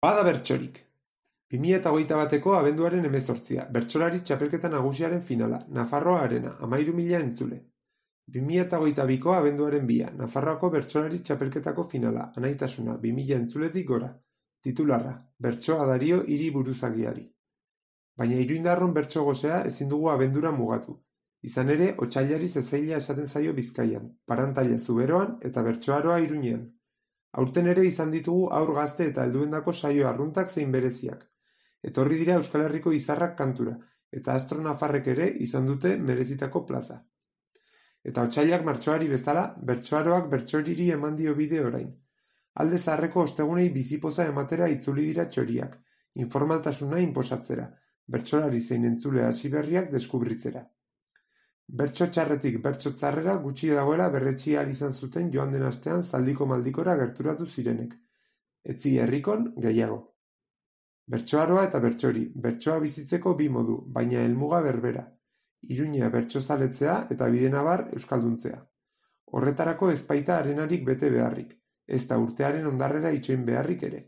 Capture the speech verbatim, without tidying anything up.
Bada bertsorik. bi mila hogeita bateko abenduaren hemezortzia, bertsolari txapelketa nagusiaren finala, Nafarroa Arena, hamahiru mila entzule. bi mila hogeita biko abenduaren bia, Nafarroako bertsolari txapelketako finala, anaitasuna, bi mila entzuletik gora. Titularra, bertsoa dario hiri buruzagiari. Baina iruindarron bertso gozea ezin dugu abendura mugatu. Izan ere, otsailari zezaila esaten zaio Bizkaian, Parantaila Zuberoan eta bertsoaroa Iruñean. Aurten ere izan ditugu haur gazte eta helduendako saio arruntak zein bereziak. Etorri dira Euskal Herriko izarrak kantura, eta astro nafarrek ere izan dute merezitako plaza. Eta otsailak martxoari bezala, bertsoaroak bertsoriri eman dio bide orain. Alde zaharreko ostegunei bizipoza ematera itzuli dira txoriak, informaltasuna inposatzera, bertsolari zein entzule hasi berriak deskubritzera. Bertso txarretik bertso tzarrera gutxi dagoela berretsi ahal izan zuten joan den astean zaldiko maldikora gerturatu zirenek. Etzi herrikon gehiago. Bertsoaroa eta bertsori, bertsoa bizitzeko bi modu, baina helmuga berbera. Iruñea bertsozaletzea eta Bidenabar euskalduntzea. Horretarako ez baita arenarik bete beharrik, ez da urtearen ondarrera itxoin beharrik ere.